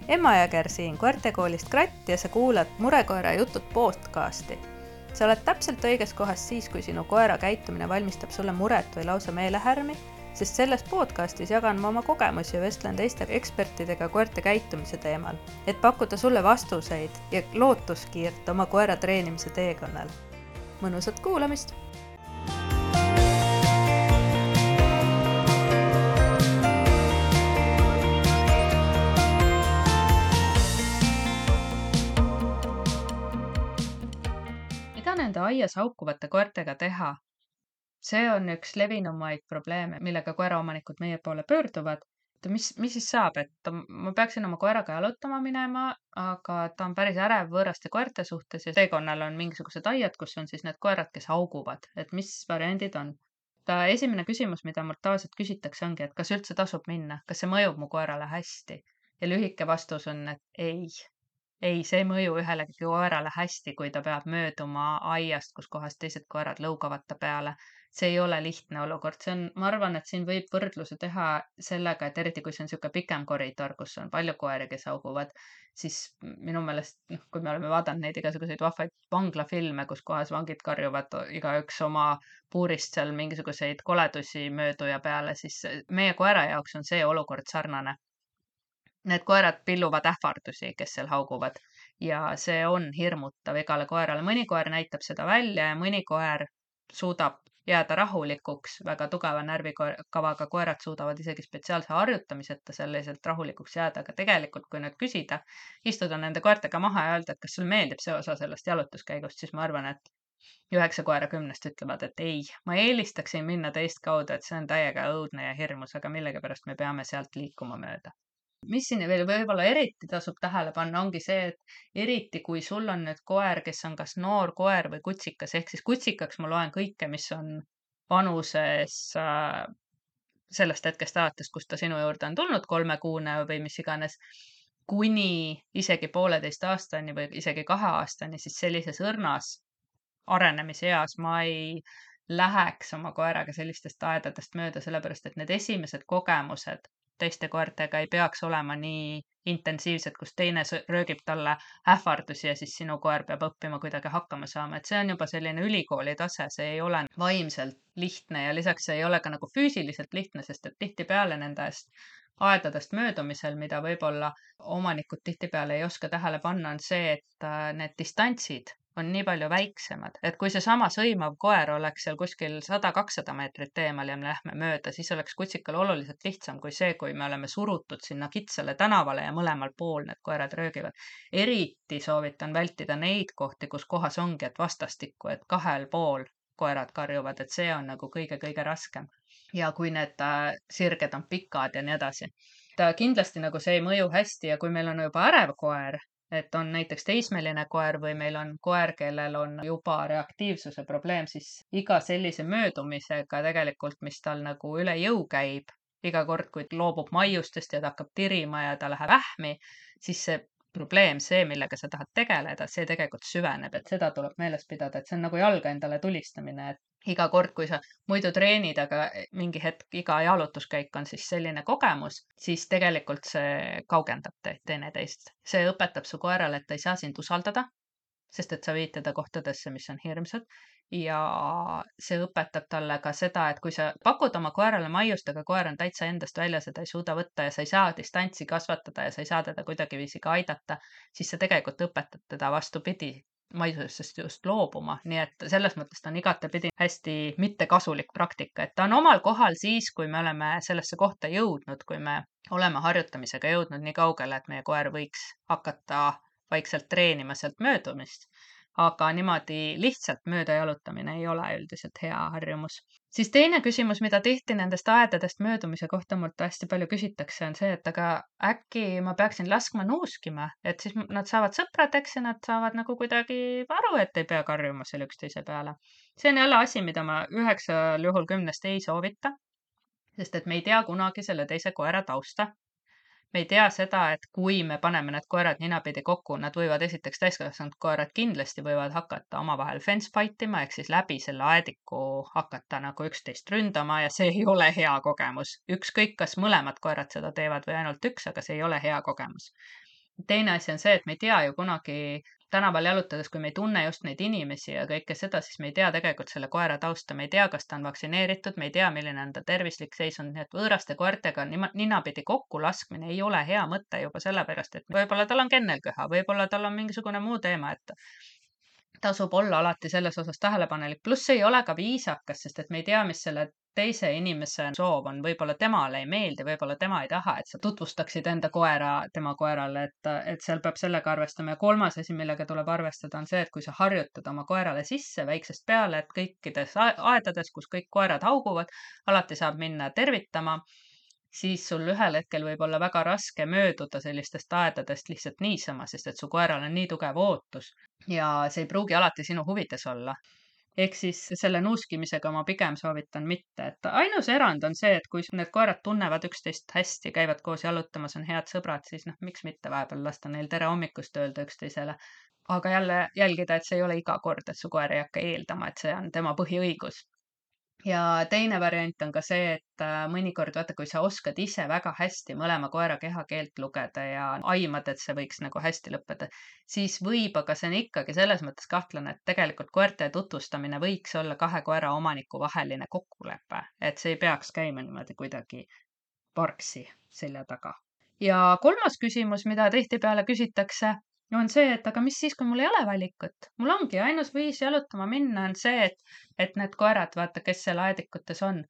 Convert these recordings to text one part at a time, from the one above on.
Emma Jõger siin koertekoolist Kratt ja sa kuulad Murekoera jutud podcasti. Sa oled täpselt õiges kohas siis, kui sinu koera käitumine valmistab sulle muret või lausa meelehärmi, sest selles podcastis jagan ma oma kogemusi ja vestlen teiste ekspertidega koerte käitumise teemal, et pakkuda sulle vastuseid ja lootuskiirt oma koera treenimise teekonnal. Mõnusat kuulamist! Nende aias haukuvate koertega teha. See on üks levinumaid probleeme, millega koeraomanikud meie poole pöörduvad. Mis siis saab, et ma peaksin oma koeraga jalutama minema, aga ta on päris ärev võõraste koerte suhtes ja teekonnal on mingisugused aiad, kus on siis need koerad, kes hauguvad, et mis variandid on. Esimene küsimus, mida mult tavaliselt küsitakse, ongi, et kas üldse tasub minna, kas see mõjub mu koerale hästi? Ja lühike vastus on, et ei. Ei, see ei mõju ühelegi koerale hästi, kui ta peab mööduma aiast, kus kohas teised koerad lõugavad ta peale. See ei ole lihtne olukord. Ma arvan, et siin võib võrdluse teha sellega, et eriti kui see on niisugune pikem koridor, kus on palju koeri, kes hauguvad, siis minu meelest, kui me oleme vaadanud neid igasuguseid vahvaid vanglafilme, kus kohas vangid karjuvad igaüks oma puurist seal mingisuguseid koledusi mööduja peale, siis meie koera jaoks on see olukord sarnane. Need koerad pilluvad ähvardusi, kes seal hauguvad ja see on hirmutav igale koerale. Mõni koer näitab seda välja ja mõni koer suudab jääda rahulikuks. Väga tugeva närvikavaga koerad suudavad isegi spetsiaalse harjutamiseta selliselt rahulikuks jääda, aga tegelikult, kui nüüd küsida, istuda nende koertega maha ja öelda, et kas sul meeldib see osa sellest jalutuskäigust, siis ma arvan, et 9 koera 10 ütlevad, et ei. Ma eelistaksin minna teist kaudu, et see on täiega õudne ja hirmus, aga millegipärast me peame sealt liikuma mööda. Mis siin veel võib-olla eriti tasub tähele panna, ongi see, et eriti kui sul on nüüd koer, kes on kas noor koer või kutsikas, ehk siis kutsikaks ma loen kõike, mis on vanuses sellest hetkest alates, kus ta sinu juurde on tulnud 3-kuune või mis iganes, kuni isegi 1,5 aastani või isegi 2 aastani, siis sellises õrnas arenemise eas ma ei läheks oma koeraga sellistest aedadest mööda, sellepärast et need esimesed kogemused teiste koertega ei peaks olema nii intensiivsed, kus teine röögib talle ähvardusi ja siis sinu koer peab õppima kuidagi hakkama saama. Et see on juba selline ülikooli tase, see ei ole vaimselt lihtne ja lisaks see ei ole ka nagu füüsiliselt lihtne, sest et tihtipeale nendest aedadest möödumisel, mida võib-olla omanikud tihtipeale ei oska tähele panna, on see, et need distantsid on nii palju väiksemad, et kui see sama sõimav koer oleks seal kuskil 100-200 meetrit eemal ja me lähme mööda, siis oleks kutsikal oluliselt lihtsam kui see, kui me oleme surutud sinna kitsale tänavale ja mõlemal pool need koerad röögivad. Eriti soovitan vältida neid kohti, kus kohas ongi, et vastastikku, et 2 pool koerad karjuvad, et see on nagu kõige raskem. Ja kui need sirged on pikad ja nii edasi. Kindlasti nagu see ei mõju hästi ja kui meil on juba ärev koer, et on näiteks teismeline koer või meil on koer, kellel on juba reaktiivsuse probleem, siis iga sellise möödumisega tegelikult, mis tal nagu üle jõu käib, iga kord, kui loobub maiustest ja ta hakkab tirima ja ta läheb ähmi, siis see probleem, see, millega sa tahad tegeleda, see tegelikult süveneb, et seda tuleb meeles pidada, et see on nagu jalga endale tulistamine, et iga kord, kui sa muidu treenid, aga mingi hetk, iga jalutuskäik on siis selline kogemus, siis tegelikult see kaugendab teineteist. See õpetab su koerale, et ta ei saa sind usaldada, sest et sa viid teda kohtadesse, mis on hirmsad. Ja see õpetab talle ka seda, et kui sa pakud oma koerale maiust, aga koer on täitsa endast välja, seda ei suuda võtta ja sa ei saa distantsi kasvatada ja sa ei saa teda kuidagiviisi ka aidata, siis sa tegelikult õpetad teda vastupidi maisusest just loobuma. Nii et selles mõttes ta on igatepidi hästi mittekasulik praktika, et ta on omal kohal siis, kui me oleme sellesse kohta jõudnud, kui me oleme harjutamisega jõudnud nii kaugele, et meie koer võiks hakata vaikselt treenima sealt möödumist. Aga niimoodi lihtsalt mööda jalutamine ei ole üldiselt hea harjumus. Siis teine küsimus, mida tihti nendest aedadest möödumise kohta mult hästi palju küsitakse, on see, et aga äkki ma peaksin laskma nuuskima, et siis nad saavad sõpradeks ja nad saavad nagu kuidagi aru, et ei pea karjuma selle üksteise peale. See on jälle asi, mida ma 9 juhul 10 ei soovita, sest et me ei tea kunagi selle teise koera tausta. Me ei tea seda, et kui me paneme need koerad ninapidi kokku, nad võivad esiteks täiskasvanud koerad kindlasti võivad hakata omavahel fence fight ima, ehk siis läbi selle aediku hakata nagu üksteist ründama ja see ei ole hea kogemus. Ükskõik, kas mõlemad koerad seda teevad või ainult üks, aga see ei ole hea kogemus. Teine asi on see, et me ei tea ju kunagi tänaval jalutades, kui me ei tunne just neid inimesi ja kõike seda, siis me ei tea tegelikult selle koera tausta, me ei tea, kas ta on vaktsineeritud, me ei tea, milline on ta tervislik seisund, nii et võõraste koertega ninapidi kokku laskmine ei ole hea mõte juba sellepärast, et võib-olla tal on kennelköha, võib-olla tal on mingisugune muu teema, et tasub olla alati selles osas tähelepanelik. Pluss see ei ole ka viisakas, sest et me ei tea, mis selle teise inimese soov on. Võib-olla temale ei meeldi, võib-olla tema ei taha, et sa tutvustaksid enda koera tema koerale, et seal peab sellega arvestama. Ja kolmas asi, millega tuleb arvestada, on see, et kui sa harjutad oma koerale sisse väiksest peale, et kõikides aedades, kus kõik koerad hauguvad, alati saab minna tervitama, siis sul ühel hetkel võib olla väga raske mööduda sellistest aedadest lihtsalt niisama, sest et su koeral on nii tugev ootus ja see ei pruugi alati sinu huvides olla. Ehk siis selle nuuskimisega ma pigem soovitan mitte, et ainus erand on see, et kui need koerad tunnevad üksteist hästi, käivad koos jalutamas, on head sõbrad, siis miks mitte vahepeal lasta neil tere hommikust öelda üksteisele. Aga jälle jälgida, et see ei ole iga kord, et su koer ei hakka eeldama, et see on tema põhiõigus. Ja teine variant on ka see, et mõnikord vaata, kui sa oskad ise väga hästi mõlema koera kehakeelt lugeda ja aimad, et see võiks nagu hästi lõppeda, siis võib, aga see on ikkagi selles mõttes kahtlane, et tegelikult koerte tutvustamine võiks olla 2 koera omaniku vaheline kokkulepe, et see ei peaks käima niimoodi kuidagi parksi selja taga. Ja kolmas küsimus, mida tihtipeale küsitakse, on see, et aga mis siis, kui mul ei ole valikut? Mul ongi ainus viis jalutama minna on see, et need koerad, vaata, kes seal aedikutes on.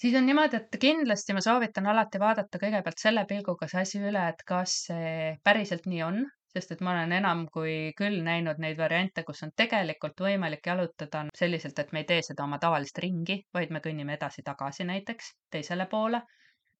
Siis on niimoodi, et kindlasti ma soovitan alati vaadata kõigepealt selle pilguga see asi üle, et kas see päriselt nii on, sest et ma olen enam kui küll näinud neid variante, kus on tegelikult võimalik jalutada selliselt, et me ei tee seda oma tavalist ringi, vaid me kõnnime edasi-tagasi näiteks teisele poole.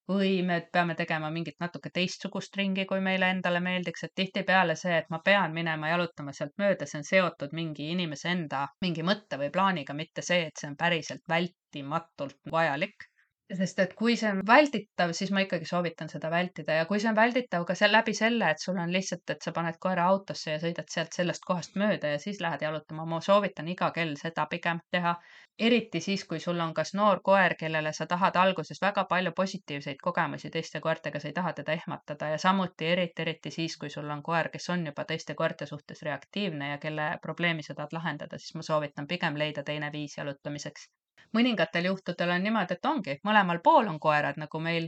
Või me peame tegema mingit natuke teistsugust ringi, kui meile endale meeldiks, et tihtipeale see, et ma pean minema jalutama sealt mööda, see on seotud mingi inimese enda mingi mõtte või plaaniga, mitte see, et see on päriselt vältimatult vajalik. Sest et kui see on vältitav, siis ma ikkagi soovitan seda vältida ja kui see on välditav ka läbi selle, et sul on lihtsalt, et sa paned koera autosse ja sõidad sealt sellest kohast mööda ja siis lähed jalutama, ma soovitan iga kell seda pigem teha. Eriti siis, kui sul on kas noor koer, kellele sa tahad alguses väga palju positiivseid kogemusi teiste koertega, sa ei taha teda ehmatada ja samuti eriti siis, kui sul on koer, kes on juba teiste koerte suhtes reaktiivne ja kelle probleemi sa tahad lahendada, siis ma soovitan pigem leida teine viis jalutamiseks. Mõningatel juhtudel on niimoodi, et ongi, mõlemal pool on koerad, nagu meil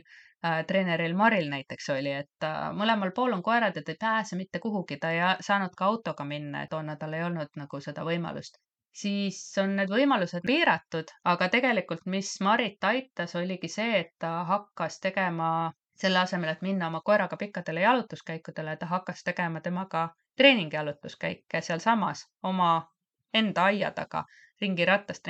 treeneril Maril näiteks oli, et mõlemal pool on koerad ja ta ei pääse mitte kuhugi, ta ei saanud ka autoga minna, et toona tal ei olnud nagu seda võimalust. Siis on need võimalused piiratud, aga tegelikult, mis Marit aitas, oligi see, et ta hakkas tegema selle asemel, et minna oma koeraga pikkadele jalutuskäikudele, ta hakkas tegema temaga treeningjalutuskäike sealsamas oma enda aia taga ringiratast,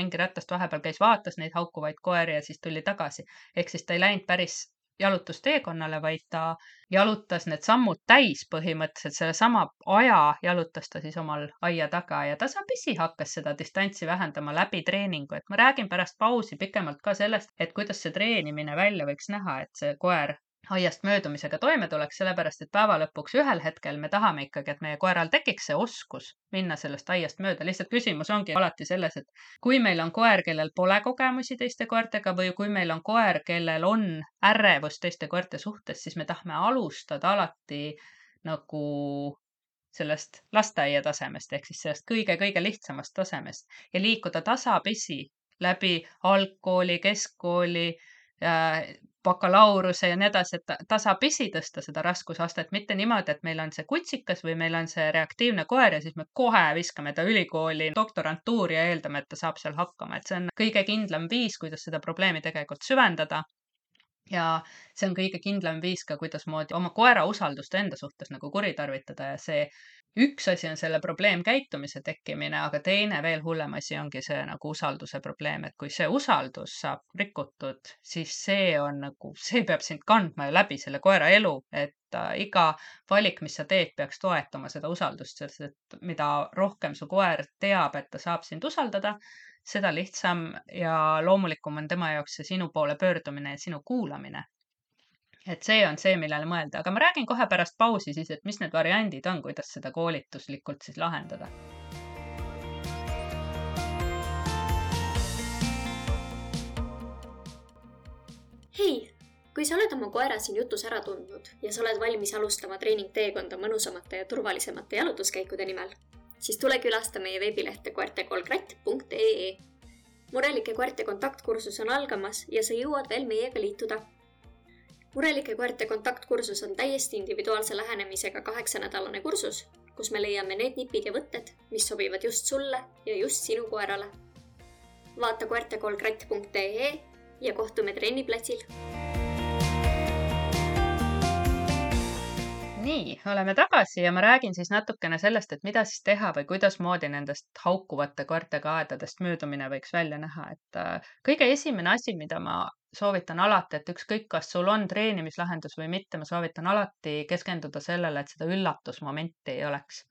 vahepeal käis, vaatas neid haukuvaid koeri ja siis tuli tagasi. Ehk siis ta ei läinud päris jalutusteekonnale, vaid ta jalutas need sammud täis põhimõtteliselt, selle sama aja jalutas ta siis omal aia taga ja tasapisi hakkas seda distantsi vähendama läbi treeningu, et ma räägin pärast pausi pikemalt ka sellest, et kuidas see treenimine välja võiks näha, et see koer aiast möödumisega toime tuleks, sellepärast et päeva lõpuks ühel hetkel me tahame ikkagi, et meie koeral tekiks see oskus minna sellest aiast mööda. Lihtsalt küsimus ongi alati selles, et kui meil on koer, kellel pole kogemusi teiste koertega või kui meil on koer, kellel on ärevus teiste koerte suhtes, siis me tahame alustada alati nagu sellest lasteaia tasemest ehk siis sellest kõige-kõige lihtsamast tasemest ja liikuda tasapisi läbi algkooli, keskkooli, bakalaureuse ja nii edasi, et tasapisi tõsta seda raskusastet, mitte niimoodi, et meil on see kutsikas või meil on see reaktiivne koer ja siis me kohe viskame ta ülikooli doktorantuuri ja eeldame, et ta saab seal hakkama, et see on kõige kindlam viis, kuidas seda probleemi tegelikult süvendada. Ja see on kõige kindlam viis ka, kuidasmoodi oma koera usaldust enda suhtes nagu kuritarvitada ja see üks asi on selle probleemkäitumise tekkimine, aga teine veel hullem asi ongi see nagu usalduse probleem, et kui see usaldus saab rikutud, siis see on nagu, see peab sind kandma ju läbi selle koera elu, et iga valik, mis sa teed, peaks toetama seda usaldust, sest et mida rohkem su koer teab, et ta saab sind usaldada, seda lihtsam ja loomulikum on tema jaoks see sinu poole pöördumine ja sinu kuulamine. Et see on see, millele mõelda, aga ma räägin kohe pärast pausi siis, et mis need variandid on, kuidas seda koolituslikult siis lahendada. Hei, Kui sa oled oma koera siin jutus ära tundnud ja sa oled valmis alustama treeningteekonda mõnusamate ja turvalisemate jalutuskäikude nimel, siis tule külasta meie veebilehte koertekolkratt.ee. Murelike koerte kontaktkursus on algamas ja sa jõuad veel meiega liituda. Murelike koerte kontaktkursus on täiesti individuaalse lähenemisega 8-nädalane kursus, kus me leiame need nipid ja võtted, mis sobivad just sulle ja just sinu koerale. Vaata koertekolkratt.ee ja kohtume trenniplatsil. Nii, oleme tagasi ja ma räägin siis natukene sellest, et mida siis teha või kuidas moodi nendest haukuvate koertega aedadest möödumine võiks välja näha. Et kõige esimene asi, mida ma soovitan alati, et ükskõik, kas sul on treenimislahendus või mitte, ma soovitan alati keskenduda sellele, et seda üllatusmomenti ei oleks.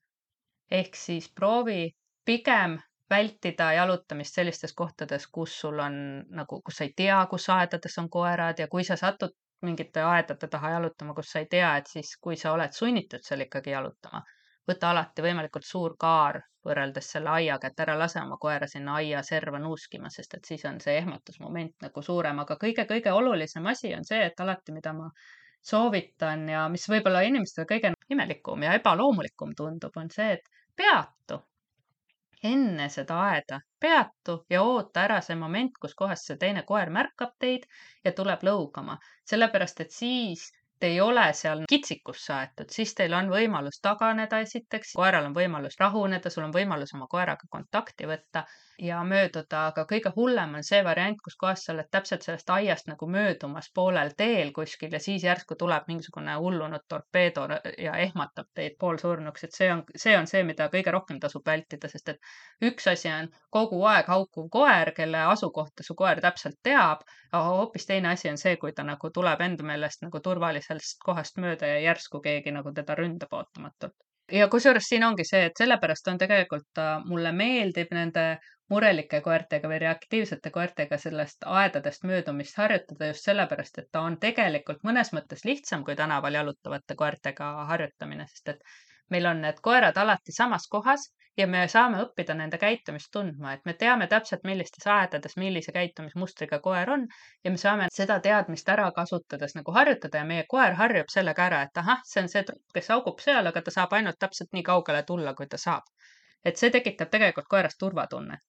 Ehk siis proovi pigem vältida jalutamist sellistes kohtades, kus sul on nagu, kus sa ei tea, kus aedades on koerad ja kui sa satud mingite aedade taha jalutama, kus sa ei tea, et siis kui sa oled sunnitud seal ikkagi jalutama, võta alati võimalikult suur kaar võrreldes selle aiaga, et ära lase oma koera sinna aia serva nuuskima, sest et siis on see ehmatusmoment nagu suurem, aga kõige olulisem asi on see, et alati, mida ma soovitan ja mis võib-olla inimestele kõige imelikum ja ebaloomulikum tundub, on see, et peatu enne seda aeda, peatu ja oota ära see moment, kus kohas see teine koer märkab teid ja tuleb lõugama. Sellepärast, et siis te ei ole seal kitsikusse aetud, siis teil on võimalus taganeda esiteks, koeral on võimalus rahuneda, sul on võimalus oma koeraga kontakti võtta ja mööduda, aga kõige hullem on see variant, kus kohas sa oled täpselt sellest aiast nagu möödumas poolel teel kuskil ja siis järsku tuleb mingisugune hullunud torpeedo ja ehmatab teid poolsurnuks, et see on see, mida kõige rohkem tasub vältida, sest et üks asi on kogu aeg haukuv koer, kelle asukohta su koer täpselt teab, aga hoopis teine asi on see, kui ta nagu tuleb enda meelest nagu turvalisest kohast mööda ja järsku keegi nagu teda ründab ootamatult. Ja kusjuures siin ongi see, et sellepärast on tegelikult mulle meeldib nende murelike koertega või reaktiivsete koertega sellest aedadest möödumist harjutada just sellepärast, et ta on tegelikult mõnes mõttes lihtsam kui tänaval jalutavate koertega harjutamine, sest et meil on need koerad alati samas kohas ja me saame õppida nende käitumist tundma, et me teame täpselt, millistes aedades, millise käitumismustriga koer on ja me saame seda teadmist ära kasutades nagu harjutada ja meie koer harjub sellega ära, et ahah, see on see trupp, kes haugub seal, aga ta saab ainult täpselt nii kaugele tulla, kui ta saab. Et see tekitab tegelikult koerast turvatunnet.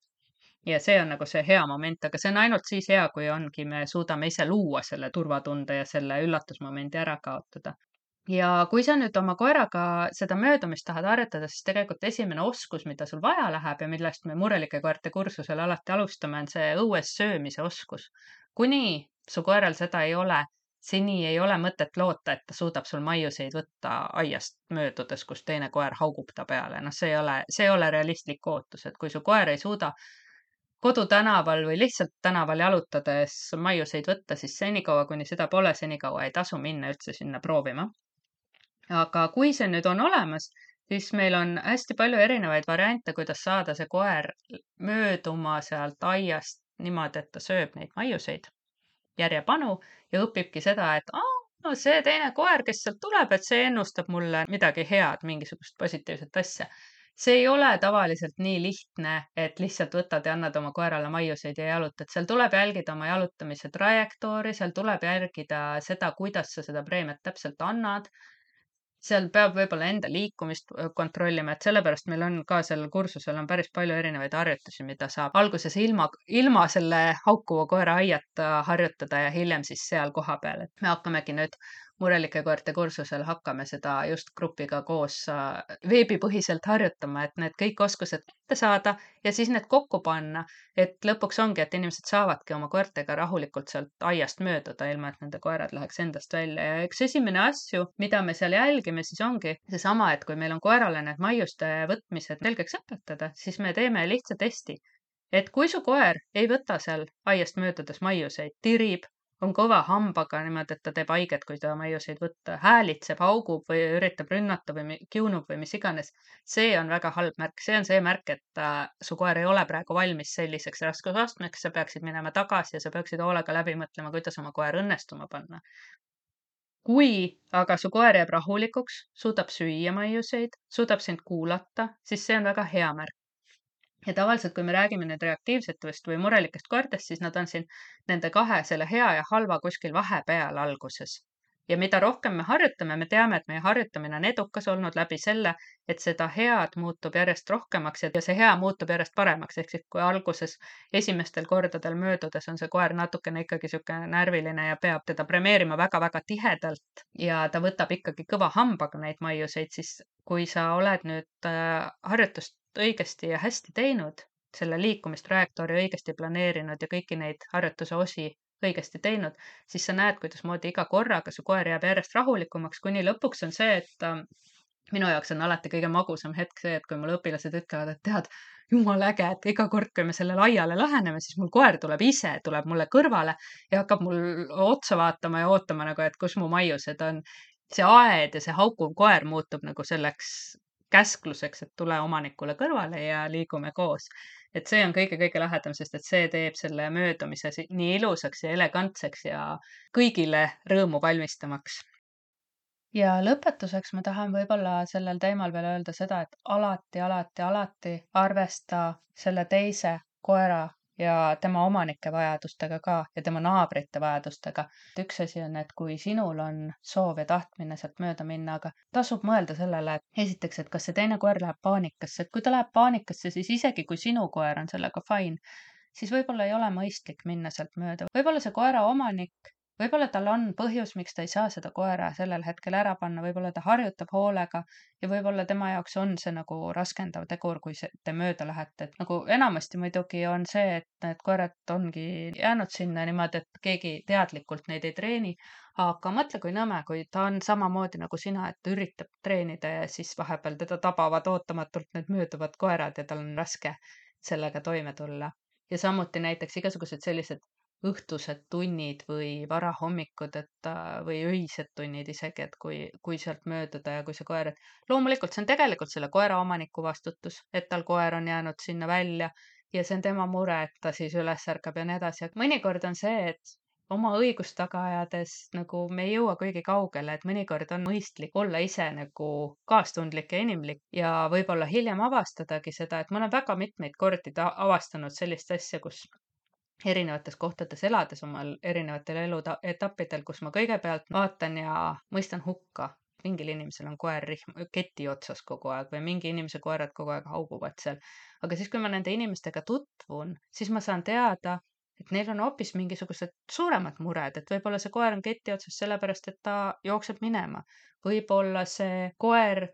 Ja see on nagu see hea moment, aga see on ainult siis hea, kui ongi, me suudame ise luua selle turvatunde ja selle üllatusmomendi ära kaotada. Ja kui sa nüüd oma koeraga seda möödumist tahad harjutada, siis tegelikult esimene oskus, mida sul vaja läheb ja millest me murelike koerte kursusel alati alustame, on see õues söömise oskus. Kuni su koeral seda ei ole, seni ei ole mõtet loota, et ta suudab sul maiuseid võtta aiast möödudes, kus teine koer haugub ta peale. No see ei ole realistlik ootus, et kui su koer ei suuda kodutänaval või lihtsalt tänaval jalutades maiuseid võtta, siis senikaua, kuni seda pole, senikaua ei tasu minna üldse sinna proovima. Aga kui see nüüd on olemas, siis meil on hästi palju erinevaid variante, kuidas saada see koer mööduma sealt aiast niimoodi, et ta sööb neid maiuseid järjepanu ja õpibki seda, et no see teine koer, kes sealt tuleb, et see ennustab mulle midagi head, mingisugust positiivset asja. See ei ole tavaliselt nii lihtne, et lihtsalt võtad ja annad oma koerale maiuseid ja jalutad. Seal tuleb jälgida oma jalutamise trajektoori, seal tuleb jälgida seda, kuidas sa seda preemiat täpselt annad. Seal peab võib-olla enda liikumist kontrollima, et sellepärast meil on ka sellel kursusel on päris palju erinevaid harjutusi, mida saab alguses ilma selle haukuva koera aiata harjutada ja hiljem siis seal kohapeal. Et me hakkamegi nüüd murelike koerte kursusel hakkame seda just grupiga koos veebipõhiselt harjutama, et need kõik oskused kätte saada ja siis need kokku panna, et lõpuks ongi, et inimesed saavadki oma koertega rahulikult sealt aiast mööduda, ilma et nende koerad läheks endast välja. Ja üks esimene asju, mida me seal jälgime, siis ongi seesama, et kui meil on koerale need maiuste võtmised selgeks õpetada, siis me teeme lihtsa testi. Et kui su koer ei võta seal aiast möödudes maiuseid, tirib, on kõva hambaga niimoodi, et ta teeb haiget, kui ta maiuseid võtta, häälitseb, haugub või üritab rünnata või kiunub või mis iganes. See on väga halb märk. See on see märk, et su koer ei ole praegu valmis selliseks raskusastmeks, sa peaksid minema tagasi ja sa peaksid hoolega läbi mõtlema, kuidas oma koer õnnestuma panna. Kui aga su koer jääb rahulikuks, suudab süüa maiuseid, suudab sind kuulata, siis see on väga hea märk. ja tavaliselt, kui me räägime nüüd reaktiivsetest või murelikest koertest, siis nad on siin nende kahe, selle hea ja halva kuskil vahepeal alguses. Ja mida rohkem me harjutame, me teame, et meie harjutamine on edukas olnud läbi selle, et seda head muutub järjest rohkemaks ja see hea muutub järjest paremaks. Ehk siis, kui alguses esimestel kordadel möödudes on see koer natukene ikkagi sihuke närviline ja peab teda premeerima väga-väga tihedalt ja ta võtab ikkagi kõva hambaga neid maiuseid, siis kui sa oled nüüd harjutust õigesti ja hästi teinud, selle liikumistrajektoori õigesti planeerinud ja kõiki neid harjutuse osi õigesti teinud, siis sa näed, kuidasmoodi iga korraga su koer jääb järjest rahulikumaks, kuni lõpuks on see, et minu jaoks on alati kõige magusam hetk see, et kui mul õpilased ütlevad, et tead, jumal äge, et iga kord, kui me sellele aiale läheneme, siis mul koer tuleb ise, tuleb mulle kõrvale ja hakkab mul otsa vaatama ja ootama nagu, et kus mu maiused on. See aed ja see haukuv koer muutub nagu selleks käskluseks, et tule omanikule kõrvale ja liigume koos. Et see on kõige-kõige lahedam, sest et see teeb selle möödumise nii ilusaks ja elegantseks ja kõigile rõõmu valmistamaks. Ja lõpetuseks ma tahan võib-olla sellel teemal veel öelda seda, et alati arvesta selle teise koera ja tema omanike vajadustega ka ja tema naabrite vajadustega. Üks asi on, et kui sinul on soov ja tahtmine sealt mööda minna, aga tasub mõelda sellele, et esiteks, et kas see teine koer läheb paanikasse, et kui ta läheb paanikasse, siis isegi kui sinu koer on sellega fine, siis võib-olla ei ole mõistlik minna sealt mööda. Võib-olla see koera omanik, võib-olla tal on põhjus, miks ta ei saa seda koera sellel hetkel ära panna, võib-olla ta harjutab hoolega ja võib-olla tema jaoks on see nagu raskendav tegur, kui te mööda lähete. Et nagu enamasti muidugi on see, et need koerad ongi jäänud sinna niimoodi, et keegi teadlikult neid ei treeni, aga mõtle, kui nõme, kui ta on samamoodi nagu sina, et ta üritab treenida ja siis vahepeal teda tabavad ootamatult need mööduvad koerad ja tal on raske sellega toime tulla. Ja samuti näiteks igasugused sellised õhtused tunnid või varahommikud, või öised tunnid isegi, et kui sealt mööduda ja kui see koer, et loomulikult see on tegelikult selle koera omaniku vastutus, et tal koer on jäänud sinna välja ja see on tema mure, et ta siis üles ärkab ja nii edasi. Mõnikord on see, et oma õigust taga ajades nagu me ei jõua kuigi kaugele, et mõnikord on mõistlik olla ise nagu kaastundlik ja inimlik ja võib-olla hiljem avastadagi seda, et ma olen väga mitmeid kordi avastanud sellist asja, kus erinevates kohtades elades omal erinevatel eluetappidel, kus ma kõigepealt vaatan ja mõistan hukka. Mingil inimesel on koer keti otsas kogu aeg või mingi inimese koerad kogu aeg hauguvad seal. Aga siis, kui ma nende inimestega tutvun, siis ma saan teada, et neil on hoopis mingisugused suuremad mured, et võib-olla see koer on keti otsas sellepärast, et ta jookseb minema. Võib-olla see koer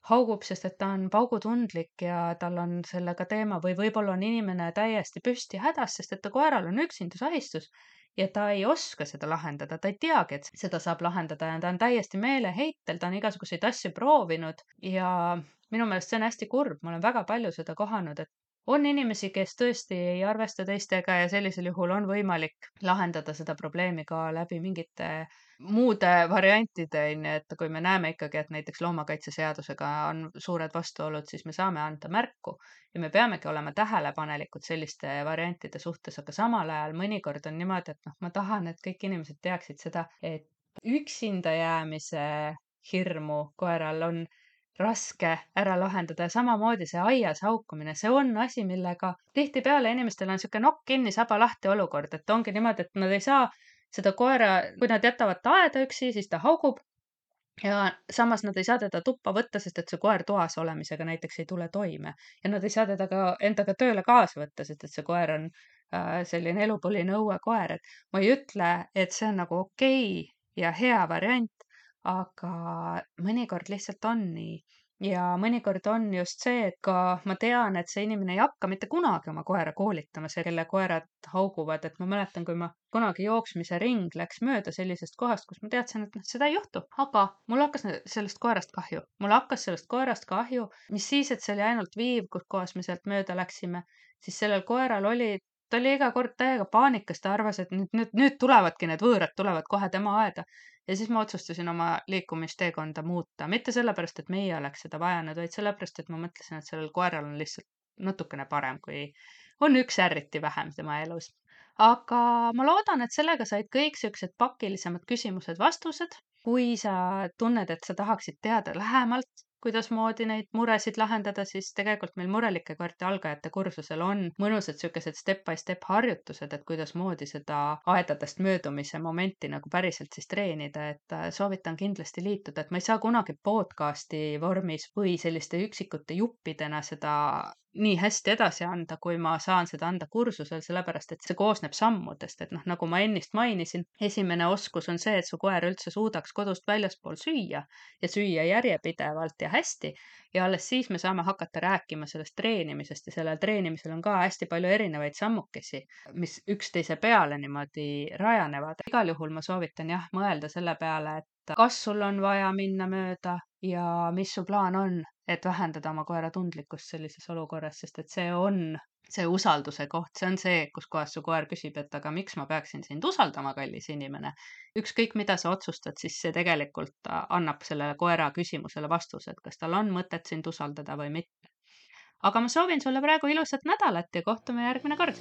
haugub, sest et ta on paugutundlik ja tal on sellega teema või võib-olla on inimene täiesti püsti hädas, sest et ta koeral on üksindusahistus ja ta ei oska seda lahendada, ta ei teagi, et seda saab lahendada ja ta on täiesti meeleheitel, ta on igasuguseid asju proovinud ja minu meelest see on hästi kurb, ma olen väga palju seda kohanud, et on inimesi, kes tõesti ei arvesta teistega ja sellisel juhul on võimalik lahendada seda probleemi ka läbi mingite muude variantide, onju, et kui me näeme ikkagi, et näiteks loomakaitseseadusega on suured vastuolud, siis me saame anda märku ja me peamegi olema tähelepanelikud selliste variantide suhtes, aga samal ajal mõnikord on niimoodi, et ma tahan, et kõik inimesed teaksid seda, et üksinda jäämise hirmu koeral on raske ära lahendada ja samamoodi see aias haukumine, see on asi, millega tihtipeale inimestel on sihuke nokk kinni, saba lahti olukord, et ongi niimoodi, et nad ei saa seda koera, kui nad jätavad ta aeda üksi, siis ta haugub ja samas nad ei saa teda tuppa võtta, sest et see koer toas olemisega näiteks ei tule toime ja nad ei saa teda ka endaga tööle kaasa võtta, sest et see koer on selline elupõline õuekoer, et ma ei ütle, et see on nagu okei ja hea variant, aga mõnikord lihtsalt on nii. Ja mõnikord on just see, et ka ma tean, et see inimene ei hakka mitte kunagi oma koera koolitama, see, kelle koerad hauguvad, et ma mäletan, kui ma kunagi jooksmise ring läks mööda sellisest kohast, kus ma teadsin, et seda ei juhtu, aga mul hakkas sellest koerast kahju. Mul hakkas sellest koerast kahju, mis siis, et see oli ainult viiv, kus kohas me sealt mööda läksime, siis sellel koeral ta oli iga kord täiega paanikas, ta arvas, et nüüd tulevadki need võõrad, tulevad kohe tema aeda. Ja siis ma otsustasin oma liikumisteekonda muuta, mitte sellepärast, et meie oleks seda vajanud, vaid sellepärast, et ma mõtlesin, et sellel koeral on lihtsalt natukene parem, kui on üks ärriti vähem tema elus. Aga ma loodan, et sellega said kõik siuksed pakilisemad küsimused vastused. Kui sa tunned, et sa tahaksid teada lähemalt kuidasmoodi neid muresid lahendada, siis tegelikult meil murelike koerte algajate kursusel on mõnusad sellised step by step harjutused, et kuidasmoodi seda aedadest möödumise momenti nagu päriselt siis treenida, et soovitan kindlasti liituda, et ma ei saa kunagi podcasti vormis või selliste üksikute juppidena seda nii hästi edasi anda, kui ma saan seda anda kursusel, sellepärast et see koosneb sammudest, et nagu ma ennist mainisin, esimene oskus on see, et su koer üldse suudaks kodust väljaspool süüa ja süüa järjepidevalt ja hästi ja alles siis me saame hakata rääkima sellest treenimisest ja sellel treenimisel on ka hästi palju erinevaid sammukesi, mis üksteise peale niimoodi rajanevad. Igal juhul ma soovitan mõelda selle peale, et kas sul on vaja minna mööda ja mis su plaan on, et vähendada oma koera tundlikkust sellises olukorras, sest et see on see usalduse koht, see on see, kus kohas su koer küsib, et aga miks ma peaksin sind usaldama, kallis inimene. Ükskõik, mida sa otsustad, siis see tegelikult annab sellele koera küsimusele vastuse, et kas tal on mõtet sind usaldada või mitte. Aga ma soovin sulle praegu ilusat nädalat ja kohtume järgmine kord.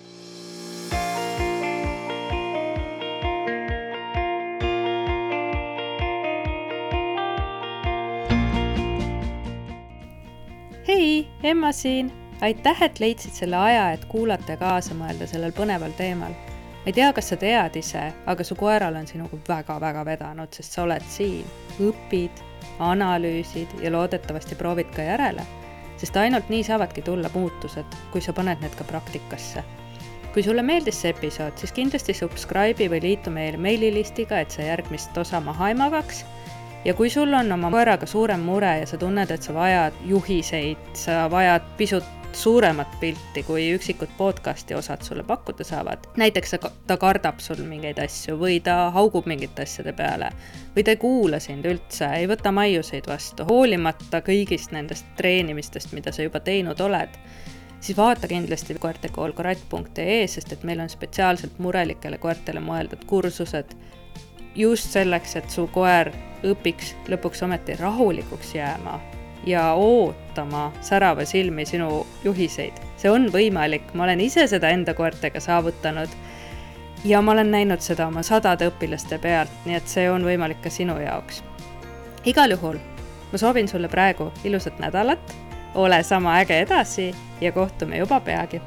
Hei, Emma siin! Aitäh, et leidsid selle aja, et kuulata ja kaasa mõelda sellel põneval teemal. Ma ei tea, kas sa tead ise, aga su koeral on sinuga väga-väga vedanud, sest sa oled siin. Õpid, analüüsid ja loodetavasti proovid ka järele, sest ainult nii saavadki tulla muutused, kui sa paned need ka praktikasse. Kui sulle meeldis see episood, siis kindlasti subscribe'i või liitu meil meililistiga, et sa järgmist osa maha ei magaks. Ja kui sul on oma koeraga suurem mure ja sa tunned, et sa vajad juhiseid, sa vajad pisut suuremat pilti, kui üksikud podcasti osad sulle pakkuda saavad. Näiteks ta kardab sul mingeid asju või ta haugub mingite asjade peale või ta ei kuula sind üldse, ei võta maiuseid vastu, hoolimata kõigist nendest treenimistest, mida sa juba teinud oled, siis vaata kindlasti koertekoolkratt.ee, sest et meil on spetsiaalselt murelikele koertele mõeldud kursused just selleks, et su koer õpiks lõpuks ometi rahulikuks jääma ja ootama särava silmi sinu juhiseid. See on võimalik, ma olen ise seda enda koertega saavutanud ja ma olen näinud seda oma 100 õpilaste pealt, nii et see on võimalik ka sinu jaoks. Igal juhul, ma soovin sulle praegu ilusat nädalat, ole sama äge edasi ja kohtume juba peagi.